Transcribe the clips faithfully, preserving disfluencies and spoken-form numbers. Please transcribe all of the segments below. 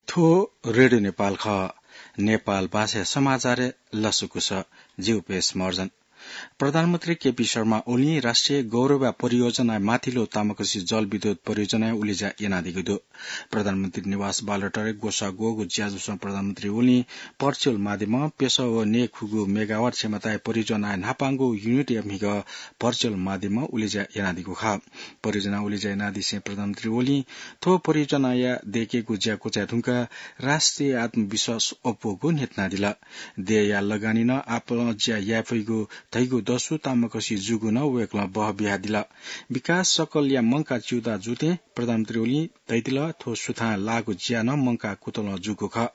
थ्व रेडियो नेपाल खः। नेपाल भाषा समाचार लसकुस। जिउ पेश मर्जन। प्रधानमन्त्री केपी शर्मा ओली राष्ट्रिय गौरवया परियोजना माथिल्लो तामाकोसी जलविद्युत परियोजना उलेज्या यानादीगु दु। प्रधानमन्त्री निवास बालुवाटारय् ग्वसाः ग्वःगु ज्याझ्वलय् प्रधानमन्त्री ओली भर्चुअल माध्यमं प्यसः व न्यय्खुगू मेगावाट क्षमताया परियोजनाया न्हापांगु युनिटया म्हिगः भर्चुअल माध्यमं उलेज्या यानादीगु खः। परियोजना उलेज्या यानादिसें प्रधानमन्त्री ओलीं थ्व परियोजनाया दयेकेगु ज्या क्वचाये धुंकाः राष्ट्रिय आत्मविश्वास अप्वःगु न्ह्यथनादिल। देय्या लगानी नं आपालं ज्या याये फइगु धइगु दसु तामाकोसी जूगु नं वय्कलं बह बियादिल। विकास सकलया मंकाः च्यूताः जूथें प्रधानमन्त्री ओलीं धयादिल, थ्व सुथां लाःगु ज्या नं मंकाः कुतलं जूगु खः।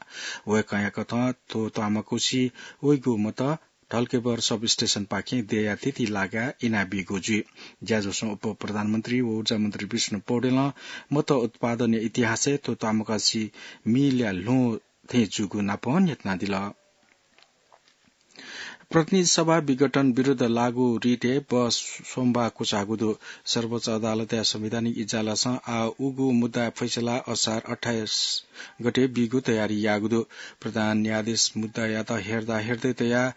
वय्कःया कथं थ्व तामाकोसी वइगु मत ढल्केबर सबस्टेशनपाखें देय्या थीथी लागाः इनाबीगु जुइ। ज्याझ्वलय् उपप्रधानमन्त्री व ऊर्जा मन्त्री विष्णु पौडेलं मत उत्पादनया इतिहासय् थ्व तामाकोसी मिलया ल्वहं थें जूगु नापं न्ह्यथनादिल। प्रतिनिधि सभा विघटन विरुद्ध लागू रिटय् बहस सोमबाः क्वचाःगु दु। सर्वोच्च अदालतया संवैधानिक इजलासं आः उगु मुद्दाया फैसला असार अट्ठाइस गते बीगु तयारी याःगु दु। प्रधान न्यायाधीश मुद्दायात हेर्दा हेर्दै तयाः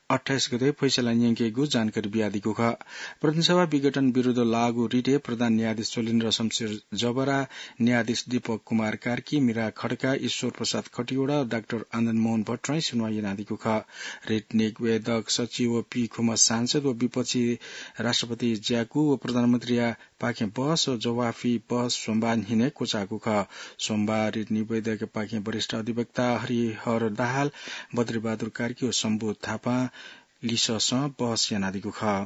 अट्ठाइस गते फैसला न्यंकेगु जानकारी बियादीगु खः। प्रतिनिधि सभा विघटन विरुद्ध लागू रिटय् प्रधान न्यायाधीश शैलेन्द्र शमशेर जबरा, न्यायाधीश दीपक कुमार कार्की, मीरा खड्का, ईश्वर प्रसाद खतिवडा, डाक्टर आनन्द मोहन भट्टराईं सुनुवाः यानादीगु खः। रिट निवेदक सचिव व पीखुम्ह सांसद व विपक्षी राष्ट्रपति ज्याकू व प्रधानमन्त्रीया पाखें बहस व जवाफी बहस सोमबाः न्हिनय् क्वचाःगु खः। सोमबाः रिट निवेदकपाखें वरिष्ठ अधिवक्ता हरिहर दाहाल, बद्रीबहादुर कार्की व शम्भु थापां लिससं बहस यानादीगु खः।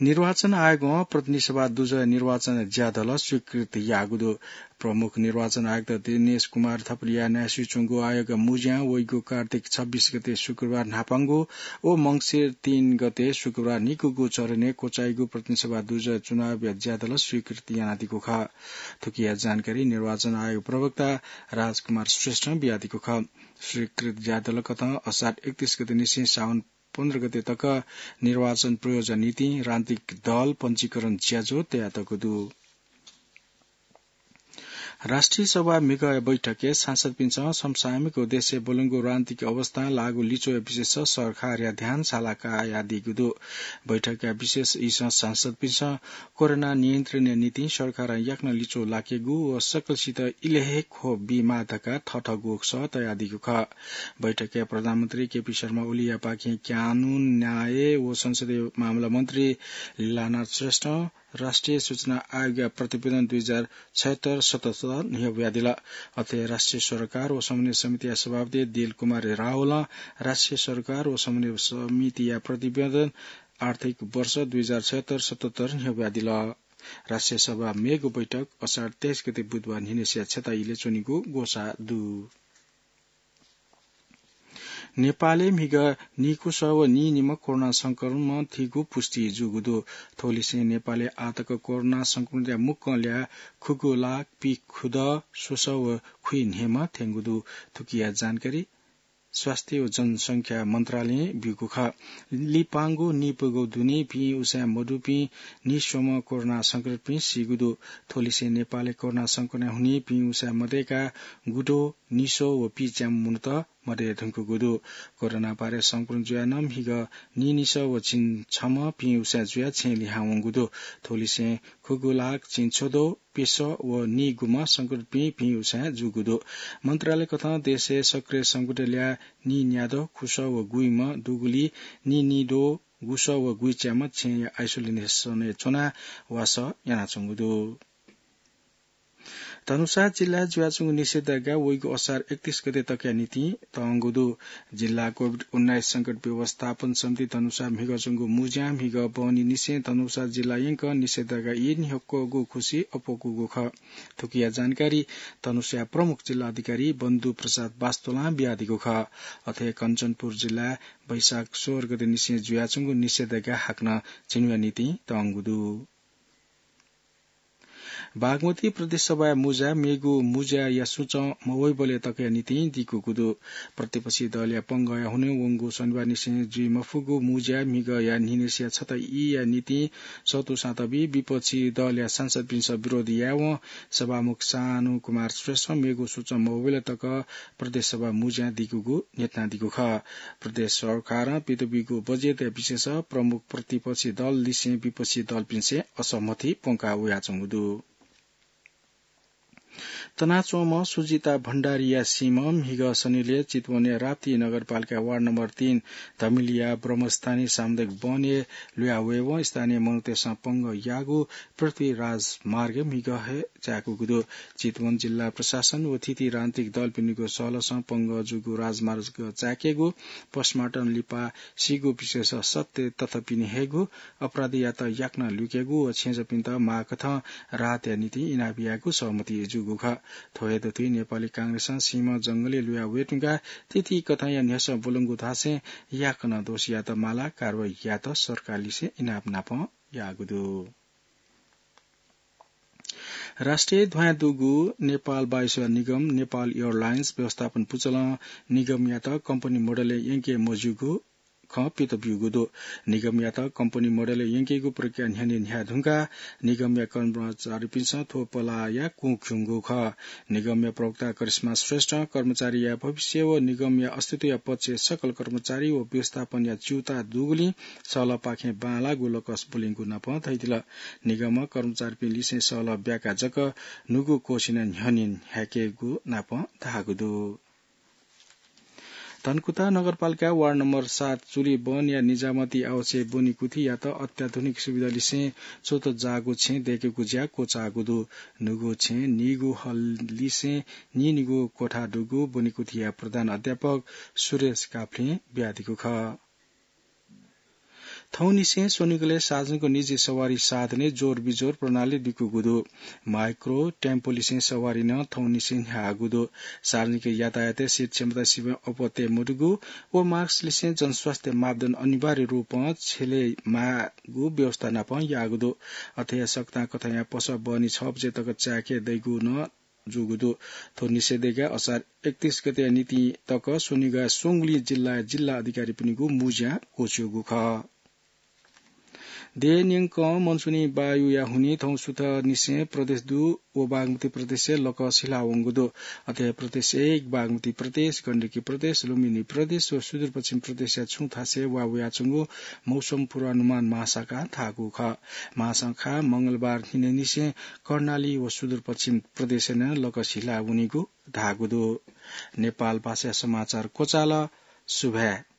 निर्वाचन आयोगं प्रतिनिधि सभा दुजः निर्वाचन ज्यादल स्वीकृत याःगु दु। प्रमुख निर्वाचन आयुक्त दिनेश कुमार थपलिया न्यासि च्वंगु आयोग मुज्यां वइगु कार्तिक छब्बीस गते शुक्रबार न्हापांगु व मंसिर तीन गते शुक्रबार निकूगु चरणय् क्वचाइगु प्रतिनिधि सभा दुजः चुनावया ज्यादल स्वीकृत यानादीगु खः। थुकिया जानकारी निर्वाचन आयोग प्रवक्ता राजकुमार श्रेष्ठं बियादीगु खः। स्वीकृत ज्यादल कथं असार एकतीस गते निसें साउन पन्ध्र गते तक निर्वाचन प्रयोजन निंतिं राजनीतिक दल पंजीकरण ज्याझ्वः तयातःगु दु। राष्ट्रिय सभा म्हिगःया बैठकय् सांसदपिन्सं समसामयिक व देशय् ब्वलंगु राजनीतिक अवस्थां लाःगु लिच्वःया विषयस सरकारया ध्यान साला कयादीगु दु। बैठकया विशेष इसं सांसदपिन्सं कोरोना नियन्त्रणया निंतिं सरकारं याकनं लिच्वः लाकेगु व सकलसित इलय् हे ख्वः बीमाः धकाः थःथःगु सः तयादीगु खः। बैठकय् प्रधानमन्त्री केपी शर्मा ओलीयापाखें कानून, न्याय व संसदीय मामला मन्त्री लीलानाथ श्रेष्ठं राष्ट्रिय सूचना आयोगया प्रतिवेदन दुई हजार छयत्तर सतहत्तर न्ह्यब्वयादिल। अथे राष्ट्रिय सरोकार व समन्वय समितिया सभापति दिल कुमार रावलं राष्ट्रिय सरोकार व समन्वय समितिया प्रतिवेदन आर्थिक वर्ष दुई हजार छयत्तर सतहत्तर न्ह्यब्वयादिल। राष्ट्रिय सभा मेगु बैठक असार तेइस गते बुधबार न्हिनसिया छता इलय् च्वनीगु ग्वसाः दु। नेपालय् म्हिगः नीकुसः व नीनिम्ह कोरोना संक्रमण थीगु पुष्टि जूगु दु। थ्वलिसें नेपालय् आःतक कोरोना संक्रमणया मुक्कं ल्याः खुगू लाख पीखुदँ स्वसः व खुइन्हय्म्ह थ्यंगु दु। थुकिया जानकारी स्वास्थ्य व जनसंख्या मन्त्रालयं ब्यूगु खः। लिपांगु नीप्वःगु दुने पिं उसाँय् मदुपिं नीस्वम्ह कोरोना संक्रमितपिं सीगु दु। थ्वलिसें नेपालय् कोरोना संक्रमणया हुनिं पिं उसाँय् मदय्काः गुद्वः, निस्वः व पिच्याम्ह मनूत मदये धुंकूगु दु। कोरोना भाइरस संक्रमण जुयाः नं म्हिगः नीनिसः व झिंछम्ह पिं उसाँय् जुयाः छेँय् लिहां वंगु दु। थ्वलिसें खुगू लाख झिंछ्वद्वः प्यसः व नीगुम्ह संक्रमितपिं पिं उसाँय् जूगु दु। मन्त्रालय कथं देशय् सक्रिय संक्रमित ल्याः नीन्याद्वः खुसः व गुइम्ह दुगुलिं नीनिद्वः गुसः व गुइच्याम्ह छेँया आइसोलेसनय् च्वनाः वासः यानाच्वंगु दु। धनुषा जिल्लाय् जुयाच्वंगु निषेधाज्ञा वइगु असार एकतीस गते तकया निंतिं तःगु दु। जिल्ला कोभिड उन्नाइस संकट व्यवस्थापन समिति धनुषा म्हिगः च्वंगु मुज्यां म्हिगः बहनी निसें धनुषा जिल्ला यंकं निषेधाज्ञा ई न्ह्यक्वःगु खुसि अप्वःकूगु खः। थुकिया जानकारी धनुषाया प्रमुख जिल्ला अधिकारी बन्धु प्रसाद वास्तोलं बियादीगु खः। अथे कञ्चनपुर जिल्लाय् वैशाख सोह्र गते निसें जुयाच्वंगु निषेधाज्ञा हाकनं झिंन्हुया निंतिं तःगु दु। बागमती प्रदेश सभाया मुजा मेगु मुजाया सुचं मवइबलय् तकया निंतिं दिकुगु दु। प्रतिपक्षी दलया पंगःया हुनिं वंगु शनिबार निसें जुइ मफुगु मुजाया म्हिगःया न्हिनय्सिया छता ईया निंतिं सतुसां तबी विपक्षी दलया सांसदपिन्सं विरोध यायेवं सभामुख शानु कुमार श्रेष्ठं मेगु सुचं मवइबलय् तक प्रदेश सभा मुजां दिकुगु न्ह्यथनादीगु खः। प्रदेश सरकारं पित बीगु बजेटया विषयस प्रमुख प्रतिपक्षी दल लिसें विपक्षी दलपिन्सं असहमति प्वंका वयाच्वंगु दु। तनाच्वंम्ह सुजिता भण्डारीया सीम्ह म्हिगः शनिलय् चितवनया राप्ती नगरपालिका वार्ड नम्बर तीन धमिलिया ब्रह्मस्थानी सामुदायिक वनय् लुया वयेवं स्थानीय मनूतय्सं पंगः याःगु पृथ्वी राजमार्ग म्हिगः हे चाय्कूगु दु। चितवन जिल्ला प्रशासन व थीथी राजनीतिक दलपिनिगु सहलहसं पंगः जूगु राजमार्ग चाय्केगु, postmortem लिपा सीगु विषयस सत्य तथ्यपिनि हयेगु, अपराधीयात याकनं लुकेगु व छेँजःपिन्त माःकथं राहतया निंतिं इनाप यायेगु सहमति जूगु खः। थ्व हे दथुइ नेपाली कांग्रेसं सीम्ह जंगलय् लुया वये धुंकाः थीथी कथंया न्ह्यसः ब्वलंगु धासें याकनं दोषीयात मालाः कारवाही यायेत सरकारलिसे इनाप नापं याःगु दु। राष्ट्रिय ध्वाँय् दुगु नेपाल वायुसेवा निगम, नेपाल एयरलाइन्स व्यवस्थापन पुचलं निगमयात कम्पनी मोडलय् यंके मज्यूगु खँ पित ब्यूगु दु। निगमयात कम्पनी मोडलय् यंकेगु प्रक्रिया न्ह्यःने न्ह्याये धुंकाः निगमया कर्मचारीपिन्सं थ्व पलाःया कुँ खिउँगु खः। निगमया प्रवक्ता करिश्मा श्रेष्ठं कर्मचारीया भविष्य व निगमया अस्तित्वया पक्षय् सकल कर्मचारी व व्यवस्थापनया च्यूताः दुगुलिं सहलहपाखें बांलाःगु लकस ब्वलीगु नापं धयादिल। निगमं कर्मचारीपिं लिसें सहलह ब्याकाः जक न्हूगु क्वःछिनय् न्ह्यःने न्ह्याकेगु नापं धाःगु दु। धनकुटा नगरपालिका वार्ड नम्बर सात चुली वनया निजामती आवासय् ब्वनिकुथियात अत्याधुनिक सुविधा लिसें च्वतजाःगु छेँ दय्केगु ज्या क्वचाःगु दु। न्हूगु छेँ नीगू हल लिसें नीनिगू कोठा दुगु ब्वनिकुथिया प्रधान अध्यापक सुरेश काफ्लें बियादीगु खः। थौंनिसें स्वनिगलय् सार्वजनिक निजी सवारी साधनय् जोर बिजोर प्रणाली दिकूगु दु। माइक्रो टेम्पोलिसें सवारी नं थौंनिसें न्ह्याःगु दु। सार्वजनिक यातायातय् seat क्षमता सीमा अपत्य मदुगु व mask लिसें जनस्वास्थ्य मापदण्ड अनिवार्य रूपं छ्यले माःगु व्यवस्था नापं याःगु दु। अथे हे सकतां कथंया पसः बहनी छ बजे तक चाय्के दइगु नं जूगु दु। थ्व निषेधाज्ञा असार एकतीस गतेया निंतिं तक स्वनिगः स्वंगुलिं जिल्लाया जिल्ला अधिकारीपिनिगु मुँज्यां क्वःछिउगु खः। देय् न्यंकं मनसुनी वायुया हुनिं थौं सुथंनिसें प्रदेश दु व बागमती प्रदेशय् लकस हिलावंगु दु। अथे हे प्रदेश एक, बागमती प्रदेश, गण्डकी प्रदेश, लुम्बिनी प्रदेश व सुदूरपश्चिम प्रदेशया छुं थासय् वा वयाच्वंगु मौसम पूर्वानुमान महाशाखां धाःगु खः। महाशाखां मंगलबार न्हिनय्निसें कर्णाली व सुदूरपश्चिम प्रदेशय् नं लकस हिला वनीगु धाःगु दु। नेपाल भाषाया समाचार क्वचाल। सुभाय्।